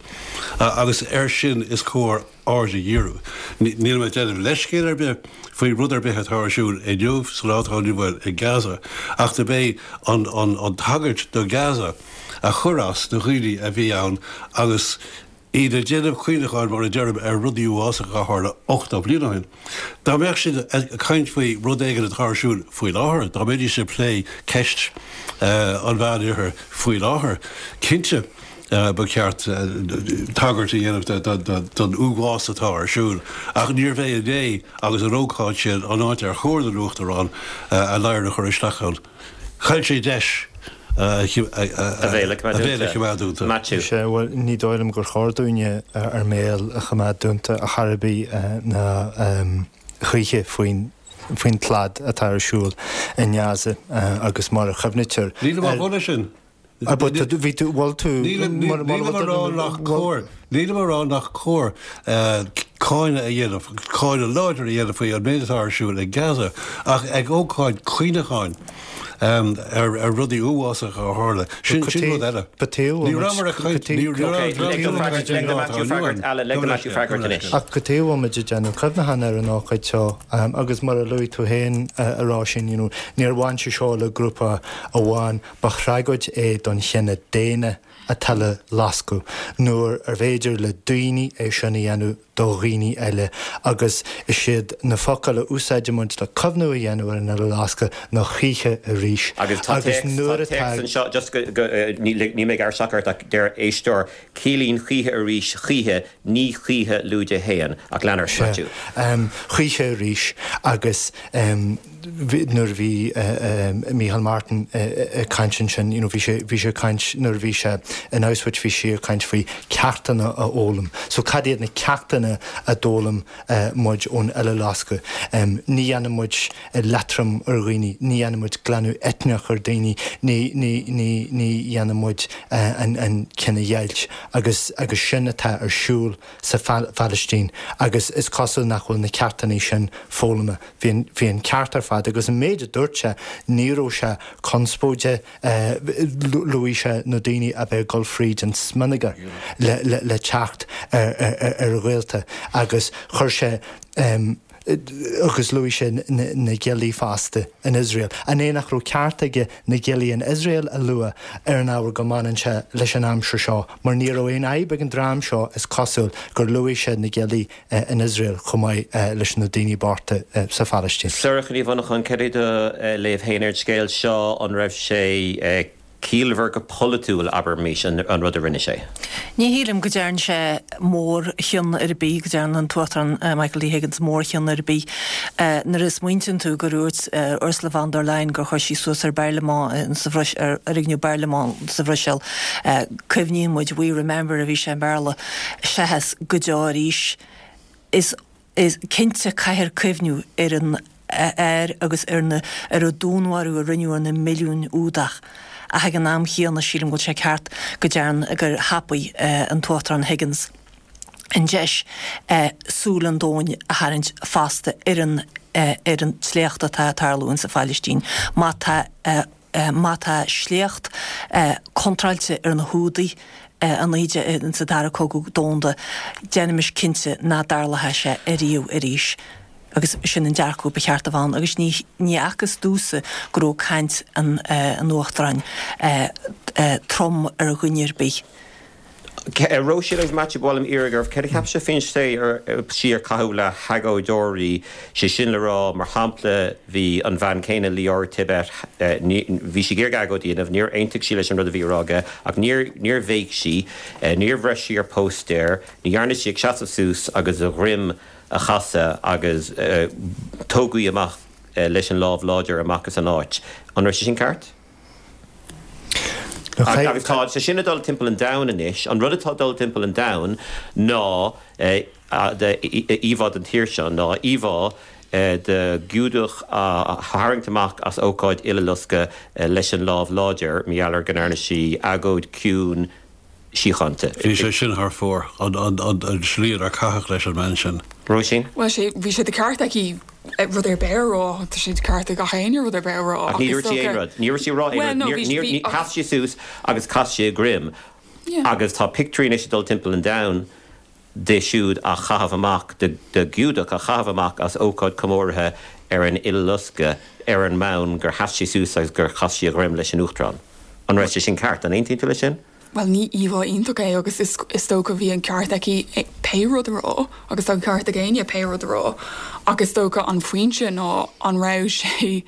[SPEAKER 3] agus air sin is cóir aird a dhíriú. Níl mé ag déanamh leithscéal ar bith faoi rud ar bith atá ar siúl inniu sa lá atá inniu ann i Gaza ach dob é an an an tagairt do Gaza a chuir as do dhaoine a bhí ann agus iad ag déanamh cuimhneacháin, mar a deirim, ar rudaí uafásacha a tharla ochtó bliain ó shin. Dá mbeadh siad ag caint faoi rud éigin atá ar siúl faoi láthair, dá mbeidís ag plé ceist an Mheánoirthir faoi láthair, cinnte ba cheart tagairt a dhéanamh don uafás atá ar siúl. Ach níorbh é inné agus an ócáid sin an áit ar chóir don Uachtarán a ladhar a chur isteach ann. Chaill sé deis. a
[SPEAKER 1] bhéal a
[SPEAKER 3] choimeád dúnta.
[SPEAKER 1] Maitiú.
[SPEAKER 5] Sea, bhuel, ní dóigh liom gur chóir dúinne ár mbéal a choimeád dúnta ar chor ar bith ná choíche faoin faoin tslad atá ar siúl i nGaza agus mar a chuimhnítear
[SPEAKER 3] Nílim á mholadh sin.
[SPEAKER 5] But bhí tú, bhfuil tú,
[SPEAKER 3] Nílim á rá nach cóir, nílim á rá nach cóir cáineadh a dhéanamh, cáineadh láidir a dhéanamh faoi an méid atá ar siúl i Gaza, ach ag ócáid cuimhneacháin ar rudaí uafásacha a tharla, sin rud eile. Ní rabhamar ag caint, ní
[SPEAKER 5] Ach cad chuige a bhfuil muid ag déanamh cuimhneachán ar an ócáid seo agus mar a luaigh tú féin a Róisín, you know, níor bhain sé seo le grúpa amháin, Ba thragóid é don chine daonna an tUileloscadh, nuair arbh fhéidir le daoine é sin a dhéanamh do dhaoine eile, agus is iad na focail a úsáidimid le cuimhniú a dhéanamh ar an Uileloscadh ná choíche arís.
[SPEAKER 1] Agus tá
[SPEAKER 5] Agus
[SPEAKER 1] téacs, tá
[SPEAKER 5] nuair
[SPEAKER 1] téacs
[SPEAKER 5] atá.
[SPEAKER 1] anseo, just go, go, ní, níl mé ag gearradh isteach ort ach deir éisteoir, ciallaíonn choíche arís choíche, ní choíche lúide haon, ach lean ort,
[SPEAKER 5] Sea,
[SPEAKER 1] Maitiú.
[SPEAKER 5] choíche arís agus. nuair a bhí Micheál Martin ag caint ansin, you know, bhí sé, bhí sé ag caint nuair a bhí sé in Auschwitz, bhí sé ag caint faoi ceachtanna a fhoghlaim. So cad iad na ceachtanna a d'fhoghlaim muid ón Uileloscadh? Ní dhéanann muid leatrom ar dhaoine, ní dhéanann muid glanadh eitneach ar dhaoine, ní, ní, ní, ní dhéanann muid an, an chinedheighilt agus, agus sin atá ar siúl sa Phalaistín agus is cosúil nach bhfuil na ceachtanna sin foghlamtha. Bhí an, bhí an ceart ar fad agus an méid a dúirt sé, ní raibh sé conspóideach, luaigh sé na daoine a bheith ag dul fríd an smionagar le, le, le teacht ar, ar, ar a ghaolta agus chuir sé, agus luaigh sé na, na giollaí fosta in Iosrael. An é nach raibh ceart aige na giollaí in Iosrael a lua ar an ábhar go mbaineann sé leis an aimsir seo mar ní raibh aon fhadhb ag an dream seo is cosúil gur luaigh sé na giollaí in Iosrael chomh maith leis na daoine bochta sa Phalaistín.
[SPEAKER 1] Sorcha Ní Mhonacháin, cad é do léamh féin ar an scéal seo? An raibh sé ciallmhar go polaitiúil, abraimis, an, an rud a rinne sé?
[SPEAKER 4] Ní shílim go dtearn sé mórchion ar bith, go dtearn an tUachtarán Michael D. Higgins mórchion ar bith. Nuair a smaointíonn tú gur dhúirt Ursula von der Leyen gur chuir sí suas ar bparlaimint sa Bhruis, ar fhoirgneamh bparlaimint sa Bhruiséil, cuimhníonn muid, we remember a bhí sé i mBéarla, seachas go deo arís. Is is cinnte caithfear cuimhniú ar an air agus ar na ar an dúnmharú a rinneadh ar na milliúin Iúdach. Ach ag an am chéanna sílim go bhfuil sé ceart go dtearn gur thapaigh an tUachtarán Higgins an deis súil an domhain a tharraingt fosta ar an ar an tsléacht atá ag tarlú insa Phailistín. Má tá má tá sléacht contráilte ar na hIúdaigh i naoi déag insa Dara Cogadh Domhanda, déanaimis cinnte nach dtarlóidh sé ariamh arís. Agus sin an dearcadh ba cheart a bheith ann. Agus ní ní fhacthas domhsa go raibh caint an an Uachtaráin trom ar dhuine ar bith.
[SPEAKER 1] Róisín agus Maitiú, ba mhaith liom iarraidh oraibh, céard a cheap sibh faoin tslí ar caitheadh le hagóideoirí, sé sin le rá, mar shampla, bhí an bhean chéanna, Lior Tibet, bhí sí ag iarraidh agóid a dhéanamh, níor aontaigh sí leis an rud a bhí á rá aige, ach níor, níor bhéic sí, níor bhreith sí ar póstaer, ní dhearna sí ach seasamh suas agus a dhroim a chasadh agus tógadh í amach leis an lámh láidir amach as an áit. An raibh sé sin ceart? Agus tá sé sin ag dul timpeall an domhain anois. An rud atá ag dul timpeall an domhain ná íomhá den tír seo, ná íomhá de Ghiúdach á tharraingt amach as ócáid Uileloscadh leis an lámh láidir, mar gheall ar go ndearna sí agóid ciúin síochánta.
[SPEAKER 3] Bhí sé sin thar fóir, an slí ar caitheadh leis an mbean sin.
[SPEAKER 1] Róisín?
[SPEAKER 6] Bhuel, sé, bhí sé de ceart aici rud ar bith a rá, tá sé de ceart ag gach éinne rud ar bith a rá.
[SPEAKER 1] Ach ní dúirt sí aon rud. Ní raibh sí ag rá aon rud. Níor, níor, sheas sí suas agus chas sí a droim. Agus tá pictiúirí anois ag dul timpeall an domhain di siúd á chaitheamh amach, de Ghiúdach á chaitheamh amach as ócáid comórtha ar an Uileloscadh ar an mbonn gur sheas sí suas agus gur chas sí a dhroim leis an Uachtarán. An raibh sé sin ceart? An aontaíonn tú leis sin?
[SPEAKER 6] Bhuel, ní íomhá iontach é agus is is dócha bhí an ceart aici pé rud a rá agus tá an ceart ag éinne pé rud a rá ach is dócha an pointe ná an raibh sé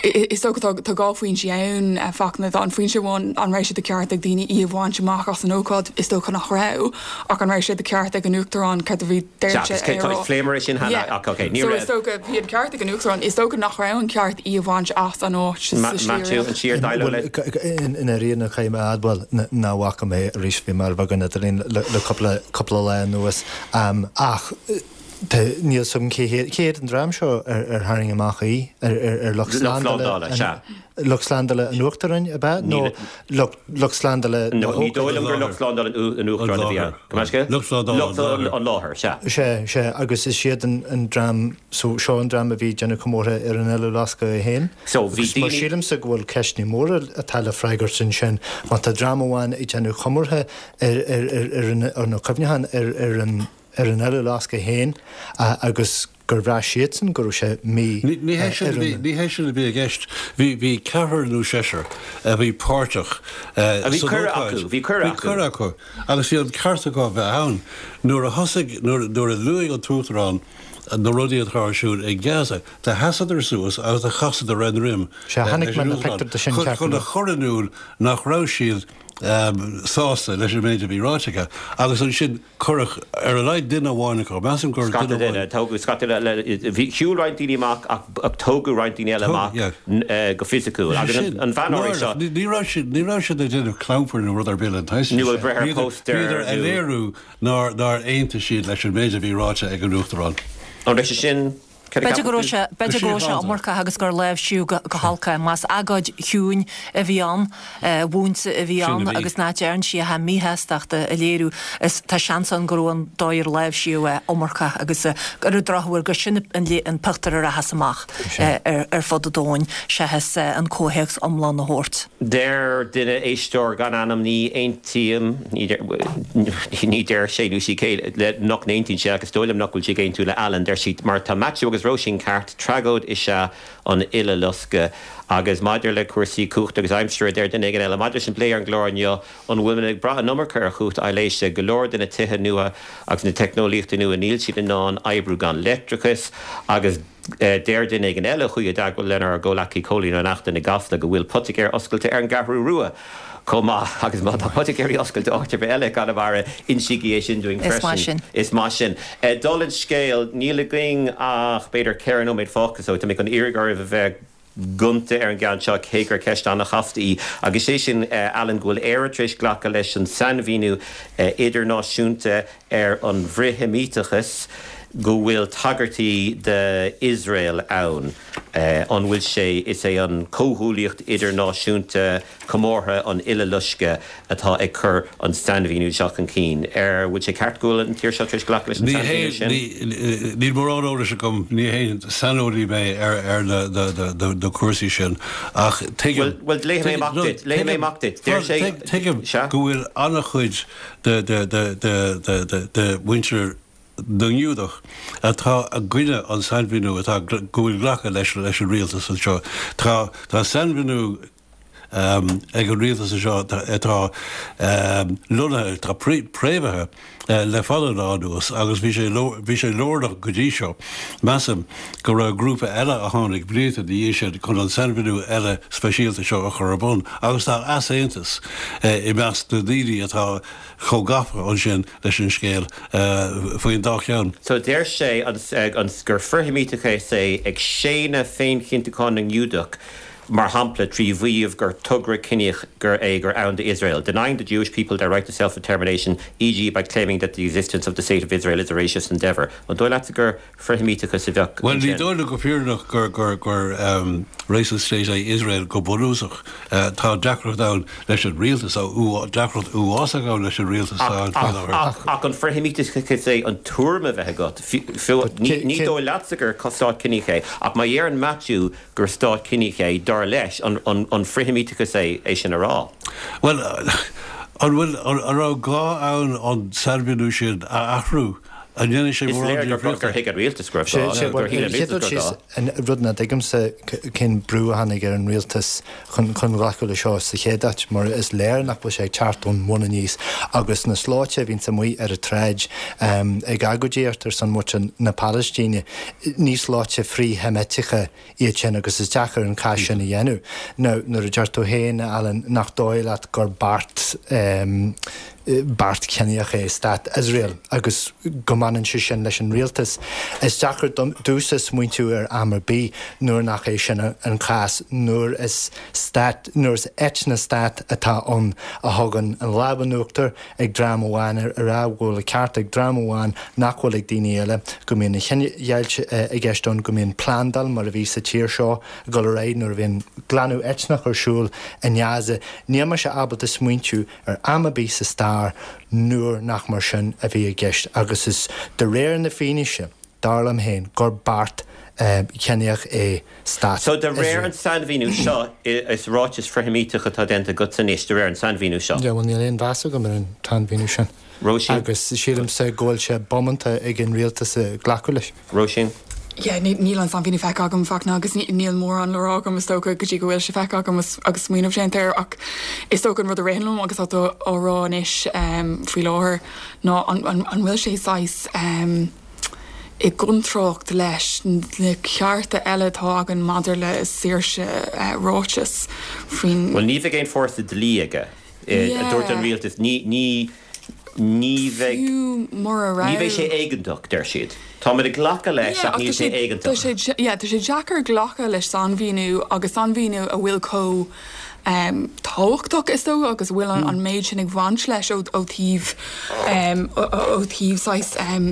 [SPEAKER 6] is dócha tá tá dhá phointe ann a Fachtna tá an pointe amháin an raibh sé de ceart ag daoine í a bhaint amach as an ócáid is dócha nach raibh ach an raibh sé de ceart ag an Uachtarán céard a bhí deirte
[SPEAKER 1] é a rá. Phléamar é sin cheana ach ok ní raibh.
[SPEAKER 6] So is dócha bhí an ceart ag an Uachtarán is dócha nach raibh an ceart í a bhaint as an áit sa slí
[SPEAKER 1] Maitiú an siar déileáil le.
[SPEAKER 5] I ndáiríre caithfidh mé a admháil nach bhfaca mé arís bhí mé ar bheagán idirlín le cúpla cúpla lá anuas ach níl 's agam cé hiad an dream seo ar tharraing amach í, ar lucht slándála, lucht slándála an Uachtaráin ab ea nó lucht slándála
[SPEAKER 1] na hócáide? Ní dóigh liom gur lucht slándála an Uachtaráin a bhí ann. Go measc?
[SPEAKER 3] Lucht slándála
[SPEAKER 1] an láthair, sea.
[SPEAKER 5] Sea, sea, agus is iad an dream, so seo an dream a bhí ag déanamh comórtha ar an Uileloscadh é féin.
[SPEAKER 1] So bhí daoine.
[SPEAKER 5] Mar sílimse go bhfuil ceisteanna móra atá le freagairt ansin. Má tá dream amháin ag déanamh comórtha ar ar ar nó cuimhneachán ar ar an ar an Uileloscadh féin agus gur bhraith siadsan go raibh sé mí
[SPEAKER 3] Ní hé sin a bhí, ní hé sin a bhí i gceist. Bhí, bhí ceathrar nó seisear a bhí páirteach
[SPEAKER 1] A bhí
[SPEAKER 3] san
[SPEAKER 1] cuireadh
[SPEAKER 3] ócáid.
[SPEAKER 1] acu, bhí cuireadh
[SPEAKER 3] Bhí
[SPEAKER 1] acu.
[SPEAKER 3] cuireadh acu agus bhí an ceart acu a bheith ann. Nuair a thosaigh, nuair, nuair a luaigh an tUachtarán na rudaí atá ar siúl i Gaza, do sheasadar suas agus do chasadar a ndroim
[SPEAKER 5] Sea, chonaic
[SPEAKER 3] leis
[SPEAKER 5] mé
[SPEAKER 3] an
[SPEAKER 5] na
[SPEAKER 3] Uachtarán
[SPEAKER 5] pictiúir de sin
[SPEAKER 3] chun,
[SPEAKER 5] ceart go
[SPEAKER 3] chun a
[SPEAKER 5] leor.
[SPEAKER 3] chur in iúl nach raibh siad sásta leis an méid a bhí ráite aige agus ansin cuireadh ar a laghad duine amháin acu, measaim gur
[SPEAKER 1] Scata
[SPEAKER 3] duine
[SPEAKER 1] duine,
[SPEAKER 3] amháin.
[SPEAKER 1] tógadh scata le, bhí, shiúil roinnt daoine amach ach tógadh roinnt daoine eile amach go fisiciúil agus an bhean áirithe seo.
[SPEAKER 3] Ní raibh siad, ní raibh siad ag déanamh clampar nó rud ar bith den tsaghas sin.
[SPEAKER 1] Nó ag breith ar póstaer nó.
[SPEAKER 3] Bhíodar ag léiriú nár, nár aontaigh siad leis an méid a bhí ráite ag an Uachtarán.
[SPEAKER 1] An raibh sé sin
[SPEAKER 4] B'fhéidir go raibh sé, b'fhéidir go raibh sé iomarcach agus gur láimhsíodh go holc é. Más agóid chiúin a bhí ann, mhúinte a bhí ann agus nach dtearn sí ach a míshástacht a léiriú, is tá seans ann go raibh an dóigh ar láimhsíodh é iomarcach agus ar an drochuair gur sin an pictiúr a rachas amach ar fud an domhain seachas an comhthéacs iomlán a thabhairt.
[SPEAKER 1] Deir duine, éisteoir gan ainm, ní aontaím, ní deir sé nó sí cé le nach n-aontaíonn sé ach is dóigh liom nach bhfuil sí ag aontú le Alan, deir sí, mar tá Maitiú agus Róisín ceart, tragóid is ea an Uileloscadh. Agus maidir le cúrsaí cumhachta agus aimsire, deir duine éigin eile, maidir leis an bplé ar an gclár inniu, an bhfuil muid ag brath an iomarca ar chumhacht aibhléise? Go leor de na tithe nua agus na teicneolaíochtaí nua, níl siad in ann oibriú gan leictreachas agus Deir duine éigin eile a chuaigh i dteagmháil lenár gcomhleacaí Cóilín Ó Neachtain i gCasla go bhfuil poitigéir oscailte ar an gCeathrú Rua chomh maith agus má tá poitigéirí oscailte áit ar bith eile i gConamara, insígí é sin dúinn
[SPEAKER 4] Is maith
[SPEAKER 1] freisin.
[SPEAKER 4] sin.
[SPEAKER 1] Is maith sin. Dála an scéil, níl againn ach b'fhéidir ceithre nóiméad fágtha so tá mé chun iarraidh oraibh a bheith gonta ar an gceann seo cé gur ceist an-chasta í agus sé sin, Alan, go bhfuil Éire tar éis glacadh leis an sainmhíniú idirnáisiúnta ar an bhfrith-Sheimíteachas go bhfuil tagairtí d'Iosrael ann. An bhfuil sé, is é an Comhghuaillíocht Idirnáisiúnta Comórtha an Uileloiscthe atá ag cur an sainmhíniú seo chun cinn. Ar bhfuil sé ceart go bhfuil an tír seo tar éis glacadh leis an
[SPEAKER 3] Ní hé,
[SPEAKER 1] sainmhíniú sin?
[SPEAKER 3] ní, níl mórán eolais agam, ní haon saineolaí mé ar, ar na, na, na, na, na cúrsaí sin, ach tuigim,
[SPEAKER 1] Bhuel, bhuel, léifidh mé
[SPEAKER 3] tuigim,
[SPEAKER 1] amach
[SPEAKER 3] no,
[SPEAKER 1] duit, léifidh mé
[SPEAKER 3] tuigim,
[SPEAKER 1] amach duit. Deir
[SPEAKER 3] fan,
[SPEAKER 1] sé,
[SPEAKER 3] tuig, tuigim
[SPEAKER 1] sea?
[SPEAKER 3] go bhfuil an-chuid de, de, de, de, de, de, de mhuintir na nGiúdach atá i gcoinne an sainmhíniú atá go bhfuil glactha leis leis an rialtas anseo. Tá tá sainmhíniú ag an rialtas anseo atá lonnaithe, atá préamhaithe le fada an lá anuas agus bhí sé bhí sé lárnach go dtí seo. Measaim go raibh grúpa eile a tháinig blianta ina dhiaidh sin chun an sainmhíniú eile speisialta seo a chur ar bun agus tá easaontas i measc na ndaoine atá chomh gafa ansin leis an scéal faoin dá cheann.
[SPEAKER 1] So deir sé an gur frith-Sheimíteachas é ag séanadh féinchinntiúchán na nGiúdach, mar shampla trí mhaíomh gur togra ciníoch gur é gur ann d'Iosrael, denying the Jewish people their right to self-determination, e.g. by claiming that the existence of the state of Israel is a racist endeavour. An dóigh leatsa gur frith-Sheimíteachas a bheadh
[SPEAKER 3] Bhuel, ní
[SPEAKER 1] ansin?
[SPEAKER 3] dóigh liom go fírinneach gur gur gur racist state é Iosrael go bunúsach. Tá deacracht ann leis an rialtas, deacracht uafásach ann leis an rialtas atá ann faoi láthair.
[SPEAKER 1] Ach ach an frith-Sheimíteachas é an tuairim a bheith agat? Fiú ní ní dóigh leatsa gur stát ciníoch é, ach má dheireann Matthew gur stát ciníoch é, dar leis, an an an frith-Sheimíteachas é é sin a rá?
[SPEAKER 3] Bhuel, an bhfuil an raibh gá ann an sainmhíniú sin a athrú? An ndéanann sé
[SPEAKER 1] Is
[SPEAKER 3] mórán
[SPEAKER 1] léir gur
[SPEAKER 3] difríochta?
[SPEAKER 1] gur thuig an rialtas go raibh
[SPEAKER 5] Sé
[SPEAKER 1] gá,
[SPEAKER 5] sé
[SPEAKER 1] gur
[SPEAKER 5] bhuel,
[SPEAKER 1] shíl an
[SPEAKER 5] an chéad
[SPEAKER 1] rialtas
[SPEAKER 5] rud
[SPEAKER 1] gur
[SPEAKER 5] síos
[SPEAKER 1] gá.
[SPEAKER 5] an rud nach dtuigimse cén brú a tháinig ar an rialtas chun chun glacadh le seo sa chéad áit, mar is léir nach bhfuil sé ag teacht ón mbun aníos agus na sluaite a bhíonns amuigh ar an tsráid ag agóidíocht ar son muintir na Palaistíne, ní sluaite frith-Sheimíteacha iad sin agus is deacair an cás sin a dhéanamh. Now, nuair a deir tú féin, Alan, nach dóigh leat gur beart beart ciníoch é stát Iosrael agus go mbaineann sé sin leis an rialtas. Is deacair domsa smaointiú ar am ar bith nuair nach é sin an cás, nuair is stát, nuair is eitneastát atá ann a thugann an lámh in uachtar ag dream amháin ar rá go bhfuil an ceart ag dream amháin nach bhfuil ag daoine eile, go mbíonn an chinedheighilt i gceist ann, go mbíonn plandáil mar a bhí sa tír seo ag dul ar aghaidh nuair a bhíonn glanadh eitneach ar siúl i nGaza. Níl mise ábalta smaointiú ar am ar bith sa stair nuair nach mar sin a bhí i gceist agus is de réir na fianaise, dar liom féin, gur beart ciníoch é stát
[SPEAKER 1] So de réir
[SPEAKER 5] Iosrael.
[SPEAKER 1] an sainmhíniú seo is ráiteas frith-Sheimíteach atá déanta agat anois de réir an sainmhíniú seo.
[SPEAKER 5] Yeah, bhuel níl aon mheas agam ar an tsainmhíniú sin.
[SPEAKER 1] Róisín?
[SPEAKER 5] Agus sílimse go bhfuil sé bómánta ag an rialtas a glacadh leis.
[SPEAKER 1] Róisín?
[SPEAKER 6] Yeah, níl an sainmhíniú feicthe agam Fachtna agus níl mórán le rá agam is dócha go dtí go bhfuil sé feicthe agam agus smaoineamh déanta air ach is dócha an rud a ritheann liom agus atá á rá anois um, faoi láthair ná an, an, an bhfuil sé saghas um, i gcontrácht leis na cearta eile atá againn maidir le saoirse uh, ráitis faoin
[SPEAKER 1] Well ní bheidh aon fórsa dlí aige a dúirt an rialtas ní ní ní bheidh
[SPEAKER 6] Fiú mura
[SPEAKER 1] ní bheidh sé
[SPEAKER 6] raibh
[SPEAKER 1] éigeantach deir siad. Táimid ag glacadh leis ach níl sé éigeantach.
[SPEAKER 6] Yeah, tá sé deacair glacadh leis sainmhíniú agus sainmhíniú a bhfuil chomh um, tábhachtach is dócha agus bhfuil an, an méid sin ag baint leis ó, ó taobh um, ó, ó taobh saghas um,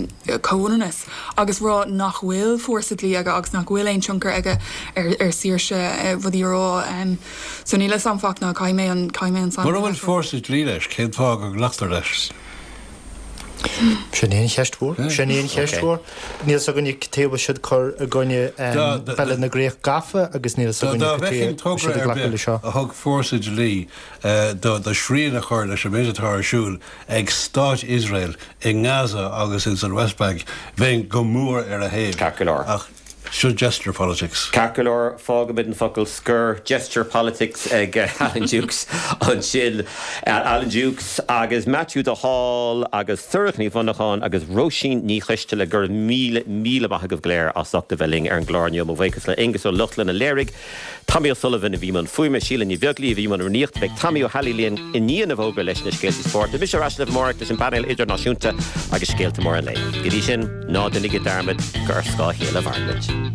[SPEAKER 6] comhionannas agus rá nach bhfuil fórsa dlí aige agus nach bhfuil aon tionchar aige ar, ar saoirse uh, rudaí a rá um, so níl a fhios agam Fachtna caithfidh mé an caithfidh mé an
[SPEAKER 3] Mura bhfuil fórsa dlí leis, cén fáth go nglactar leis?
[SPEAKER 5] Sin í an cheist mhór, sin í an cheist mhór. Níl a fhios againne cad chuige a bhfuil siad ag cur i gcoinne Bille na gCríoch Gafa agus níl a fhios againne
[SPEAKER 3] Dá bhfeicfinn
[SPEAKER 5] cad chuige
[SPEAKER 3] togra
[SPEAKER 5] siad
[SPEAKER 3] ar
[SPEAKER 5] glacadh le
[SPEAKER 3] bith
[SPEAKER 5] seo.
[SPEAKER 3] a thug fórsa dlí do do srian a chur leis an méid atá ar siúl ag Stát Iosrael i nGaza agus in san West Bank, bheinn go mór ar a thaobh.
[SPEAKER 1] Ceart go leor.
[SPEAKER 3] Ach Seo gesture politics.
[SPEAKER 1] Ceart go leor, fágfaimid an focal scoir gesture politics ag Alan Dukes ansin Alan Dukes agus Matthew de Hál agus Sorcha Ní Mhonacháin agus Róisín Ní Choisteala go raibh míle míle maith agaibh go léir as ucht a bheith linn ar an gclár inniu mo bhuíochas le Aengus Ó Lochlainn a léirigh Tommy O'Sullivan a bhí i mbun fuaime Síle Ní Bheaglaoich a bhí i mbun rúnaíochta beidh Tommy Ó hAilí linn i ndiaidh na bhfógraí leis na scéalta spóirt. Mise ar ais libh amárach leis an bpainéal idirnáisiúnta agus scéalta móra an lae. Go dtí sin ná déanaigí dearmad gur ar scáth a chéile a mhairimid.